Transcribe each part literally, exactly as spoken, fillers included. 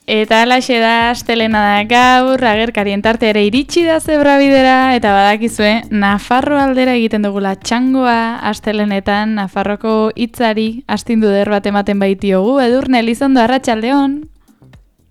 Eta alaxe da, astelena da gaur, agerkarien tarte ere iritsi da zebrabidera, eta badakizue, Nafarro aldera egiten dugula txangoa, astelenetan, Nafarroko hitzari astindu der bat ematen baitiogu, Edurne Elizondo, arratsaldeon.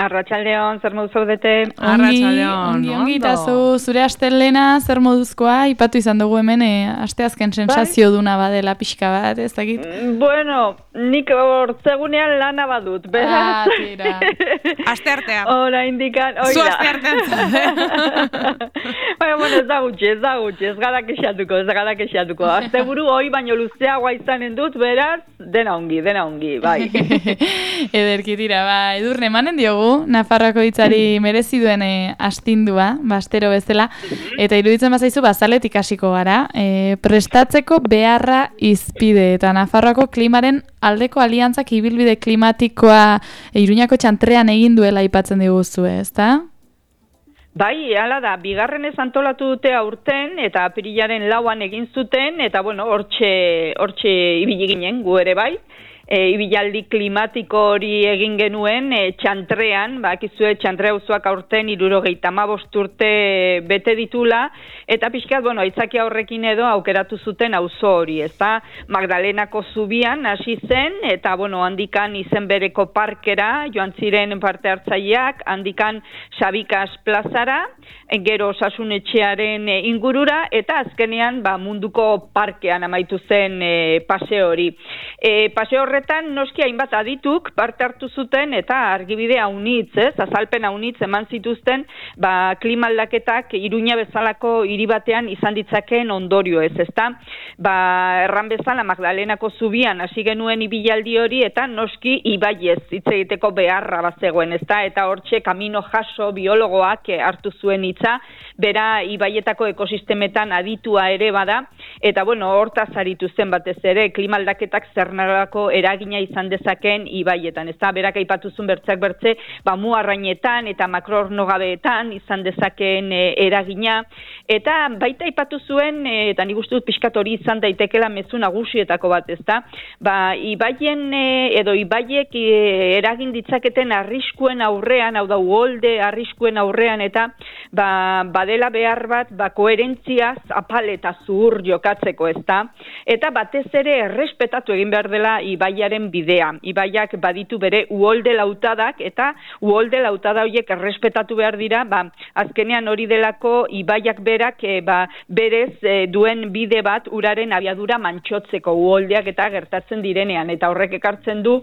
Arratsaldeon, zer modu zaudete? Arratsaldeon, ongi, ongi, eta zu, zure astelena, zer moduzkoa, ipatu izan dugu hemen, e, asteazken sensazio duna badela pixka bat, ez dakit? Bueno, nik hortzegunean lana badut, beraz. Ah, tira. Aste artean. Hora indikan, oida. Zu aste artean zaude. Baina, bueno, ez da gutxi, ez da gutxi, ez gara kexatuko, ez gara kexatuko. Azte buru hoi baino luzeagoa izanen dut, beraz, dena ongi, dena ongi, bai. Ederki tira, ba, Edurne, emanen diogu, Nafarroako hitzari merezi duen e, astindua, bastero bezala, eta iruditzen bazaizu bazaletik hasiko gara, e, prestatzeko beharra izpide, eta Nafarroako klimaren aldeko aliantzak ibilbide klimatikoa e, Iruñako txantrean egin duela aipatzen diguzue, ezta? Bai, hala da, bigarrenez antolatu dute aurten, eta apirilaren lauan egin zuten, eta bueno, hortxe, hortxe ibili ginen, gu ere bai. E, ibilaldi klimatiko hori egin genuen e, txantrean, bakizue txantre auzoak aurten hirurogeita hamabost urte bete ditula, eta pixkat, bueno, aitzaki horrekin edo aukeratu zuten auzo hori, ezta? Magdalenako zubian hasi zen, eta bueno, handikan izen bereko parkera, joan ziren parte hartzaileak, handikan Sabikas plazara, gero Osasunetxearen ingurura, eta azkenean ba, munduko parkean amaitu zen e, paseo hori. E, paseo horretan noski hainbat adituk parte hartu zuten eta argibide haunitz, ez? Azalpen haunitz eman zituzten ba, klima aldaketak Iruña bezalako hiri batean izan ditzakeen ondorio ez, ezta? Ba, erran bezala Magdalenako zubian hasi genuen ibilaldi hori eta noski ibaiez hitz egiteko beharra bazegoen, ezta? Eta hortxe Camino Jaso biologoak hartu zuen hitza, bera ibaietako ekosistemetan aditua ere bada, eta bueno, hortaz aritu zen batez ere, klima aldaketak zer nolako eragina izan dezakeen ibaietan, ezta? Berak aipatuzun bertzeak bertze, ba muarrainetan eta makroornogabeetan izan dezakeen e, eragina, eta baita aipatu zuen, e, eta nik uste dut pixkat hori izan daitekela mezu nagusietako bat, ezta? Ba, ibaien e, edo ibaiek e, eragin ditzaketen arriskuen aurrean, hau da uholde arriskuen aurrean, eta ba, badela behar bat, ba, koherentziaz apal eta zuhur jokatzeko, ezta? Eta batez ere errespetatu egin behar dela ibaiaren bidea. Ibaiak baditu bere uholde lautadak, eta uholde lautada horiek errespetatu behar dira, ba, azkenean hori delako ibaiak berak e, ba, berez e, duen bide bat uraren abiadura mantxotzeko uholdeak eta gertatzen direnean, eta horrek ekartzen du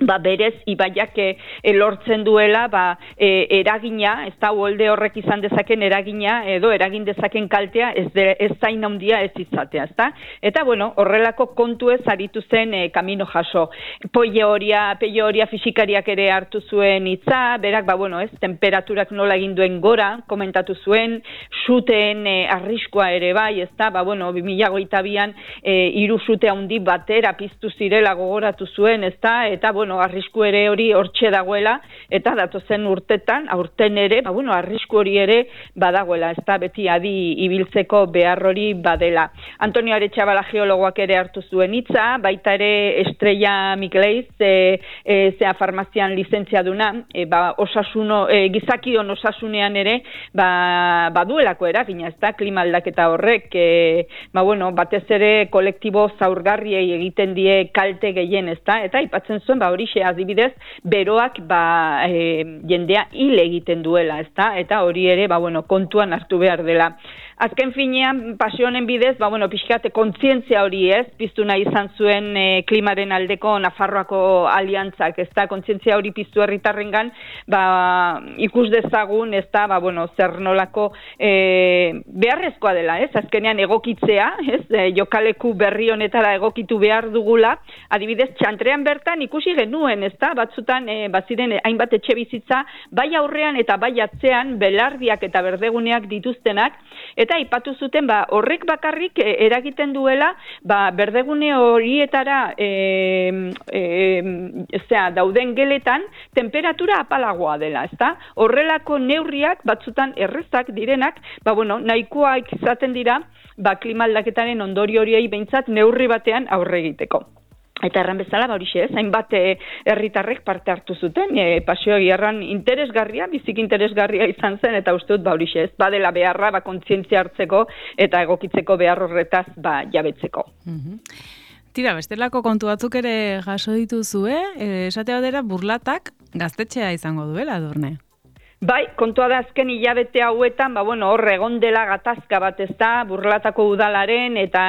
ba berez ibaiak e, lortzen duela ba, e, eragina, ez da uholde horrek izan dezaken eragina edo eragin dezaken kaltea ez, de, ez zain handia ez izatea, ez da? Eta bueno, horrelako kontu ez aritu zen e, Camino Jaso. Peioria, peioria fisikariak ere hartu zuen hitza, berak ba bueno, ez, temperaturak nola egin duen gora, komentatu zuen, suteen e, arriskoa ere bai, ez da? Ba bueno, bi mila hogeita bian e, hiru sute handi batera piztu zirela gogoratu zuen, ez da? Eta bueno, bueno, arrisku ere hori hortxe dagoela, eta datozen urtetan, aurten ere, ba, bueno, arrisku hori ere badagoela, ez da beti adi ibiltzeko behar hori badela. Antonio Aretxabala geologoak ere hartu zuen hitza, baita ere Estrella Mikleiz, e, e, zea farmazian lizentzia duna, e, ba, osasuno, e, gizakion osasunean ere, ba, baduelako eragina, ez da, klima aldaketa horrek, e, ba, bueno, batez ere kolektibo zaurgarriei egiten die kalte gehien, ez da, eta aipatzen zuen, ba, horixe adibidez, beroak ba, e, jendea hil egiten duela, ezta? Eta hori ere, ba, bueno, kontuan hartu behar dela. Azken finean, pasionen bidez, ba, bueno, pixkate kontzientzia hori ez, piztu nahi izan zuen e, klimaren aldeko Nafarroako aliantzak, ezta? Kontzientzia hori piztu herritarrengan, ba, ikus dezagun, ezta? Ba, bueno, zer nolako e, beharrezkoa dela, ez? Azkenean egokitzea, ez? E, jokaleku berri honetara egokitu behar dugula, adibidez, txantrean bertan ikusi genuen, ezta? Batzutan, e, baziren hainbat etxe bizitza, bai aurrean eta bai atzean, belardiak eta berdeguneak dituztenak, eta aipatu zuten, ba, horrek bakarrik e, eragiten duela, ba, berdegune horietara e, e, zera, dauden geletan, temperatura apalagoa dela, ezta? Horrelako neurriak, batzutan errezak direnak, ba, bueno, nahikoak izaten dira, ba, klima aldaketaren ondorio horiei behintzat neurri batean aurre egiteko. Eta erran bezala, ba horixe ez, hainbat herritarrek parte hartu zuten, e, paseo egierran interesgarria, bizik interesgarria izan zen, eta uste dut, ba horixe ez, badela beharra, ba kontzientzia hartzeko, eta egokitzeko behar horretaz, ba jabetzeko. Mhm. Tira, bestelako kontu batzuk ere jaso dituzue, eh? Esate batera burlatak gaztetxea izango duela, Edurne. Bai, kontua da azken hilabete hauetan, ba, bueno, hor egon dela gatazka bat ez da, Burlatako udalaren eta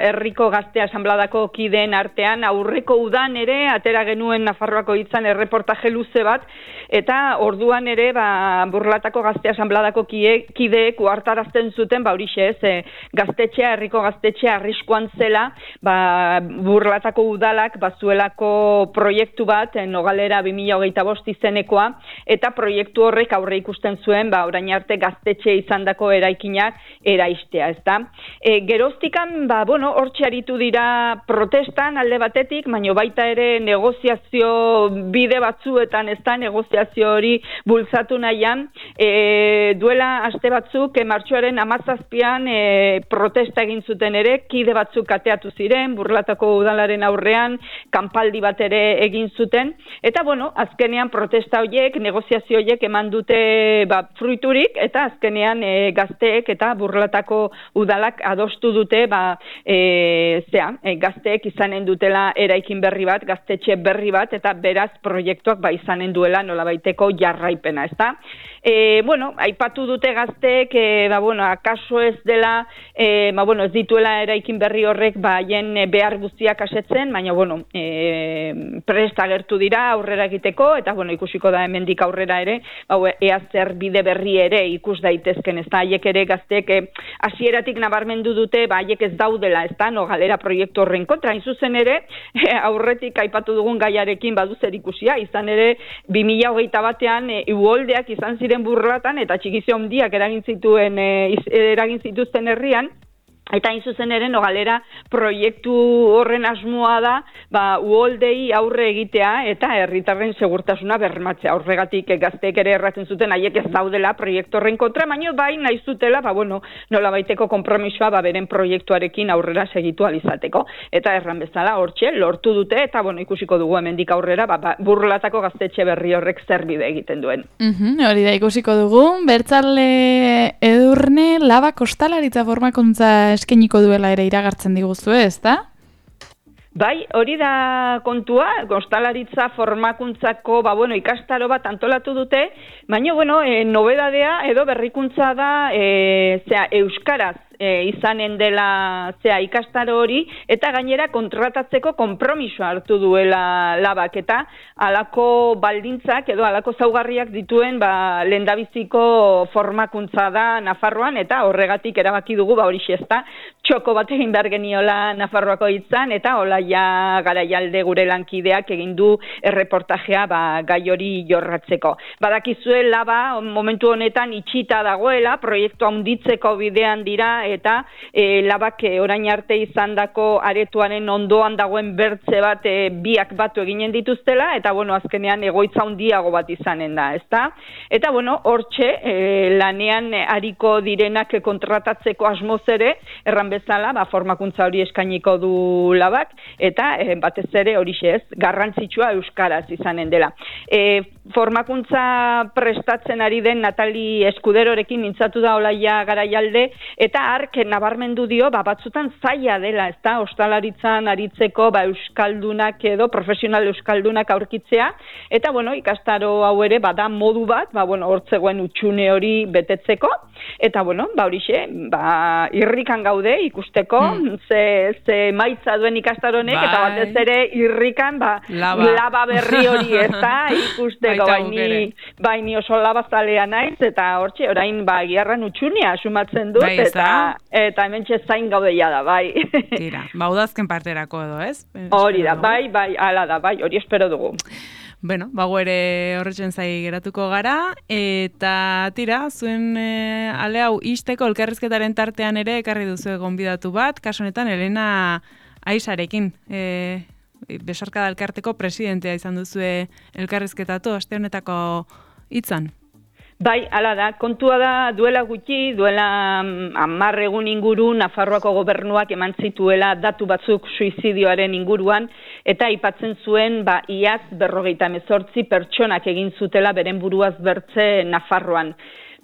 herriko gazte asanbladako kideen artean, aurreko udan ere, atera genuen Nafarroako hitzan erreportaje luze bat, eta orduan ere, ba, Burlatako gazte asanbladako kideek uhartarazten zuten, ba, horixe ez, e, gaztetxea, herriko gaztetxea arriskuan zela, ba, Burlatako udalak bazuelako proiektu bat, Nogalera bi mila hogeita bost izenekoa, eta proiektu horrek aurre ikusten zuen, ba, orain arte gaztetxe izandako eraikinak eraistea, ezta? E, geroztikan, ba, bueno, hortxe aritu dira protestan alde batetik, baina baita ere negoziazio bide batzuetan, ezta, negoziazio hori bultzatu nahian, e, duela aste batzuk, e, martxoaren hamazazpian e, protesta egin zuten ere, kide batzuk ateatu ziren, Burlatako udalaren aurrean, kanpaldi bat ere egin zuten, eta, bueno, azkenean protesta horiek, negoziazio horiek eman dute ba, fruiturik, eta azkenean e, gazteek eta Burlatako udalak adostu dute ba, e, zea, e, gazteek izanen dutela eraikin berri bat, gaztetxe berri bat, eta beraz proiektuak ba, izanen duela nolabaiteko jarraipena, ezta? E, bueno, aipatu dute gazteek, e, ba, bueno, akaso ez dela, e, ba, bueno, ez dituela eraikin berri horrek ba, haien behar guztiak asetzen, baina, bueno, e, prest agertu dira aurrera egiteko, eta, bueno, ikusiko da hemendik aurrera ere, ba, ea zer bide berri ere ikus daitezken, ez da, haiek ere gazteek hasieratik nabarmendu dute, ba, haiek ez daudela, ez da, Nogalera proiektu horren kontra, hain zuzen ere, aurretik aipatu dugun gaiarekin badu zer ikusia, izan ere, bi mila hogeita batean, e, uholdeak izan ziren Burlatan, eta txikizio handiak eragin zituen, e, eragin zituzten herrian, eta hain zuzen ere Nogalera proiektu horren asmoa da, ba, uholdei aurre egitea eta herritarren segurtasuna bermatzea. Horregatik gazteek ere erratzen zuten haiek ez daudela proiektu horren kontra, baina bai nahi zutela, ba, bueno, nolabaiteko konpromisoa ba, beren proiektuarekin aurrera segitu alizateko. Eta erran bezala hortxe lortu dute, eta bueno, ikusiko dugu hemendik aurrera, ba, ba, Burlatako gaztetxe berri horrek zer bide egiten duen. Mm-hmm, hori da ikusiko dugu, Bertzale Edurne Laba kostalaritza formakuntza eskeniko duela ere iragartzen diguzu, ez da? Bai, hori da kontua, kostalaritza formakuntzako, ba, bueno, ikastaro bat antolatu dute, baina, bueno, e, nobedadea edo berrikuntza da, e, zera, euskaraz, E, izanen dela zea ikastaro hori, eta gainera kontratatzeko konpromisoa hartu duela Labak, eta halako baldintzak edo halako zaugarriak dituen ba, lehendabiziko formakuntza da Nafarroan, eta horregatik erabaki dugu ba hori xezta, txoko bat egin behar geniola Nafarroako hitzan, eta hola ja Garaialde gure lankideak egin du erreportajea ba, gai hori jorratzeko. Badakizue Laba momentu honetan itxita dagoela, proiektu handitzeko bidean dira, eta e, Labak e, orain arte izandako aretoaren ondoan dagoen bertze bat e, biak batu eginen dituztela, eta bueno, azkenean egoitza handiago bat izanen da, ezta? Eta bueno, hortxe e, lanean ariko direnak kontratatzeko asmoz ere, erran bezala, ba, formakuntza hori eskainiko du Labak, eta e, batez ere horixe ez, garrantzitsua euskaraz izanen dela. E, formakuntza prestatzen ari den Natali Eskuderorekin mintzatu da Olaia Garaialde, eta hark nabarmendu dio, ba, batzutan zaila dela, ez da, ostalaritzan aritzeko ba, euskaldunak edo profesional euskaldunak aurkitzea, eta bueno, ikastaro hau ere bada modu bat, ba, bueno, hortzegoen utxune hori betetzeko, eta bueno, ba, horixe, ba, irrikan gaude ikusteko, hmm. ze, ze maitza duen ikastaronek, bai. Eta batez ere irrikan, ba, laba, laba berri hori, ez da, ikusteko, baini, baini oso labazalea naiz, eta hortxe, orain, ba, giarran utxunia asumatzen dut, bai, eta eta hementxe zain gaudeia da, bai. Tira, ba, udazken parterako edo, ez? Hori da, bai, bai, ala da, bai, hori espero dugu. Bueno, bago ere horretzen zai geratuko gara, eta tira, zuen e, ale hau isteko elkarrizketaren tartean ere ekarri duzu gonbidatu bat, kasu honetan Elena Aisarekin, e, Besarkada elkarteko presidentea izan duzue elkarrizketatu, aste honetako hitzan. Bai, hala da, kontua da duela gutxi, duela hamar egun inguru Nafarroako gobernuak eman zituela datu batzuk suizidioaren inguruan, eta aipatzen zuen ba, iaz berrogeita hemezortzi pertsonak egin zutela beren buruaz bertze Nafarroan.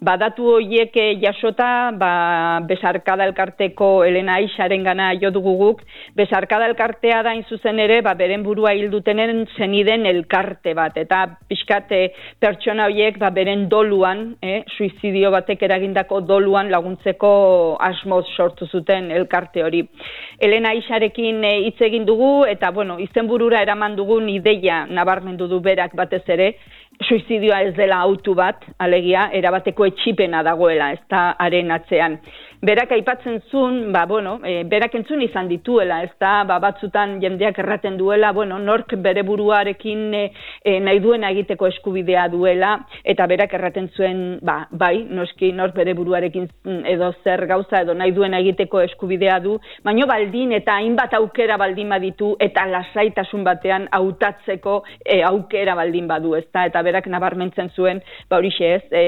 Ba, datu horiek jasota, ba, Besarkada elkarteko Elena Aixaren gana jo dugu guk. Besarkada elkartea da zuzen ere, ba, beren burua hildutenen zeniden elkarte bat. Eta pixkat pertsona horiek ba, beren doluan, eh, suizidio batek eragindako doluan laguntzeko asmoz sortu zuten elkarte hori. Elena Aixarekin hitz egin dugu, eta bueno, izenburura eraman dugun ideia nabarmendu du berak batez ere, suizidioa ez dela autu bat, alegia, erabateko etxipena dagoela, ez da haren atzean. Berak aipatzen zuen, ba, bueno, e, berak entzun izan dituela, ez da, ba, batzutan jendeak erraten duela, bueno, nork bere buruarekin e, e, nahi duena egiteko eskubidea duela, eta berak erraten zuen, ba, bai, noski nork bere buruarekin edo zer gauza edo nahi duena egiteko eskubidea du, baino baldin eta hainbat aukera baldin baditu, eta lasaitasun batean hautatzeko e, aukera baldin badu, ez da, eta berak nabarmentzen zuen, ba, horixe ez, e,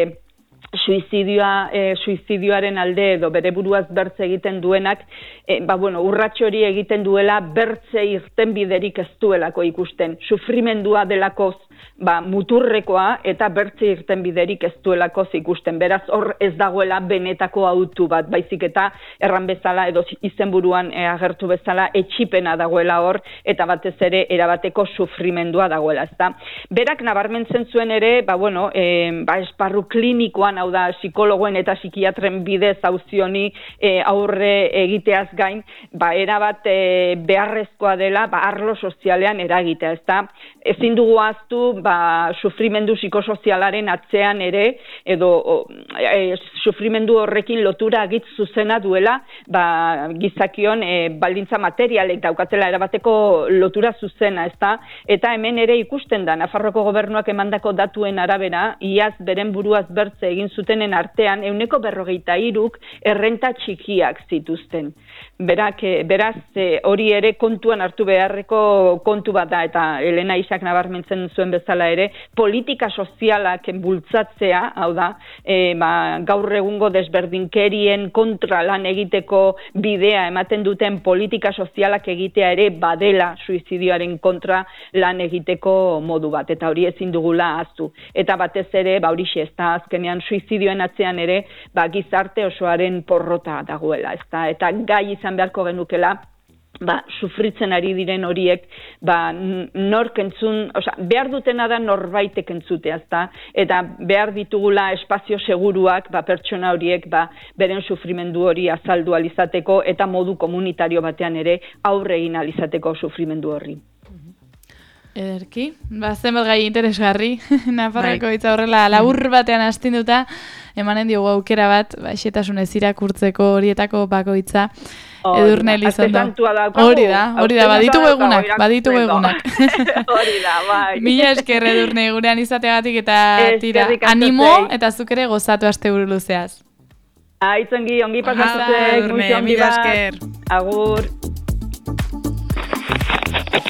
suizidioa, e, suizidioaren alde edo bere buruaz bertze egiten duenak, e, ba, bueno, urrats hori egiten duela bertze irtenbiderik ez duelako ikusten. Sufrimendua delakoz ba, muturrekoa eta bertze irtenbiderik ez duelakoz ikusten. Beraz, hor ez dagoela benetako autu bat, baizik eta erran bezala edo izenburuan e, agertu bezala etxipena dagoela hor eta batez ere erabateko sufrimendua dagoela, ezta. Berak nabarmentzen zuen ere, ba, bueno, e, ba, esparru klinikoan, hau da, psikologoen eta psikiatren bidez auzioni e, aurre egiteaz gain, ba, erabat e, beharrezkoa dela, ba, arlo sozialean eragitea, ezta. Ezin dugu ahaztu, ba, sufrimendu psikosozialaren atzean ere, edo o, e, sufrimendu horrekin lotura agitz zuzena duela, ba, gizakion e, baldintza materialek daukatela erabateko lotura zuzena, ezta. Eta hemen ere ikusten da, Nafarroko gobernuak emandako datuen arabera, iaz beren buruaz bertze egin zutenen artean, ehuneko berrogeita hiruk errenta txikiak zituzten. Berak, beraz, hori ere kontuan hartu beharreko kontu bat da, eta Elena Aixak nabarmentzen zuen bezala ere, politika sozialak bultzatzea, hau da, e, ba, gaur egungo desberdinkerien kontra lan egiteko bidea ematen duten politika sozialak egitea ere badela suizidioaren kontra lan egiteko modu bat, eta hori ezin dugula ahaztu. Eta batez ere, ba, horixe, ez da, azkenean suizidioen atzean ere, ba, gizarte osoaren porrota dagoela, ez da, eta gai izan beharko genukela, ba, sufritzen ari diren horiek, ba, nork entzun, oza, behar dutena da norbaitek entzutea, ezta, eta behar ditugula espazio seguruak, ba, pertsona horiek, ba, beren sufrimendu hori azaldu alizateko, eta modu komunitario batean ere aurre egin alizateko sufrimendu horri. Ederki, ba, zenbat gai interesgarri, Nafarroko hitza horrela labur batean astinduta, emanen diogu aukera bat, ba, xetasunez irakurtzeko horietako bakoitza, Edurne Elizondo. Hori da, hori da, baditugu egunak, baditugu egunak. Hori da, bai. Mila esker Edurne gurean izateagatik eta tira, animo eta zuk ere gozatu asteburu luzeaz. Aitzongi, ongi pasatzek, Edurne, mila esker. Agur.